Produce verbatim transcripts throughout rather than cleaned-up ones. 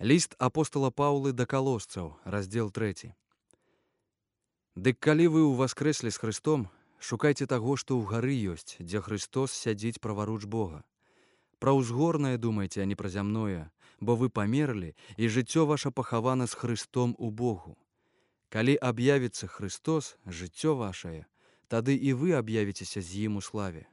Ліст апостала Паўлы да калосцаў, раздзел трэці. Дык калі вы ўваскрэслі з Хрыстом, шукайце таго, што ў гары ёсць, дзе Христос сядзіць праваруч Бога. Пра ўзгорнае думайце, а не пра зямное, бо вы памерлі, і жыццё ваша пахавана з Христом у Богу. Калі аб'явіцца Христос, жыццё вашае, тады і вы аб'явіцеся з ім у славе.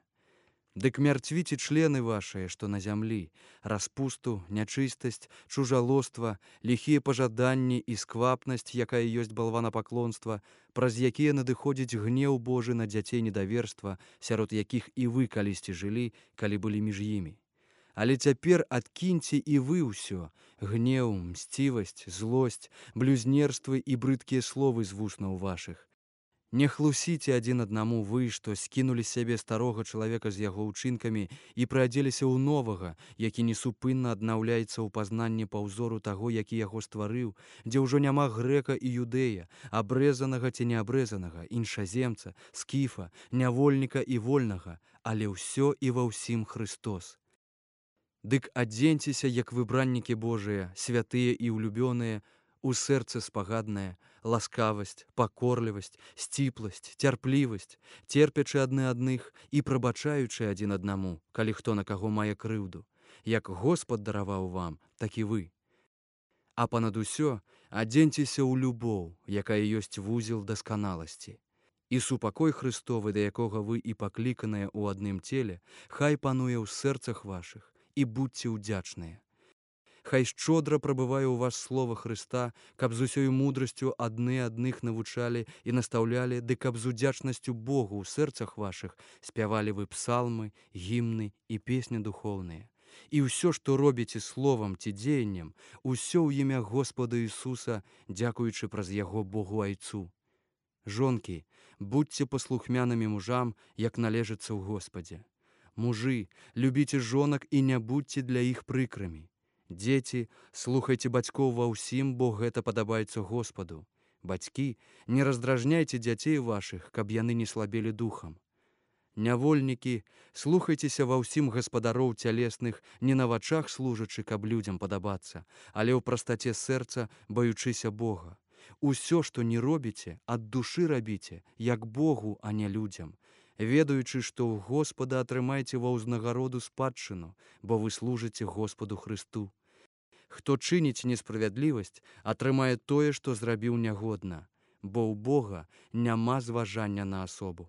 Дык мярцвіце члены вашыя, што на зямлі, распусту, нячыстасць, чужалоства, ліхія пажаданні і сквапнасць, якая ёсць балванапаклонства, праз якія надыходзіць гнеў Божы на дзяцей недаверства, сярод якіх і вы калісьці жылі, калі былі між імі. Але цяпер адкіньце і вы ўсё: гнеў, мсцівасць, злосць, блюзнерствы і брыдкія словы з вуснаў вашых. Не хлусіце адзін аднаму вы, што скінулі з сябе старога чалавека з яго ўчынкамі і прыадзеліся ў новага, які несупынна аднаўляецца ў пазнанні па ўзору таго, які яго стварыў, дзе ўжо няма грэка і юдэя, абрэзанага ці неабрэзанага, іншаземца, скіфа, нявольніка і вольнага, але ўсё і ва ўсім Христос. Дык адзеньцеся, як выбраннікі Божыя, святыя і ўлюбёныя, у сэрцы спагаднае, ласкавасць, пакорлівасць, сціпласць, цярплівасць, церпячы адны адных і прабачаючы адзін аднаму, калі хто на каго мае крыўду, як Господ дараваў вам, так і вы. А панад усё адзеньцеся ў любоў, якая ёсць вузел дасканаласці. І супакой Христовы, да якога вы і пакліканыя ў адным целе, хай пануе ў сэрцах вашых, і будьце ўдзячныя. Хай шчодра прабывае ў вас слова Хрыста, каб з усёй мудрасцю адны адных навучалі і настаўлялі, ды каб з удзячнасцю Богу ў сэрцах вашых спявалі вы псалмы, гімны і песні духоўныя. І ўсё, што робіце словам ці дзеяннем, усё ў імя Господа Ісуса, дзякуючы праз яго Богу Айцу. Жонкі, будьце паслухмянымі мужам, як належыцца ў Господзе. Мужы, любіце жонак і не будьце для іх прыкрымі. Дзеці, слухайце бацькоў ва ўсім, бо гэта падабаецца Господу. Бацькі, не раздражняйце дзяцей вашых, каб яны не слабелі духам. Нявольнікі, слухайцеся ва ўсім гаспадароў цялесных, не на вачах служачы, каб людзям падабацца, але ў прастаце сэрца, баючыся Бога. Усё, што не робіце, ад душы рабіце, як Богу, а не людзям, ведаючы, што ў Господа атрымайце ва ўзнагароду спадчыну, бо вы служыце Господу Христу. Хто чыніць несправядлівасць, атрымае тое, што зрабіў нягодна, бо ў Бога няма зважання на асобу.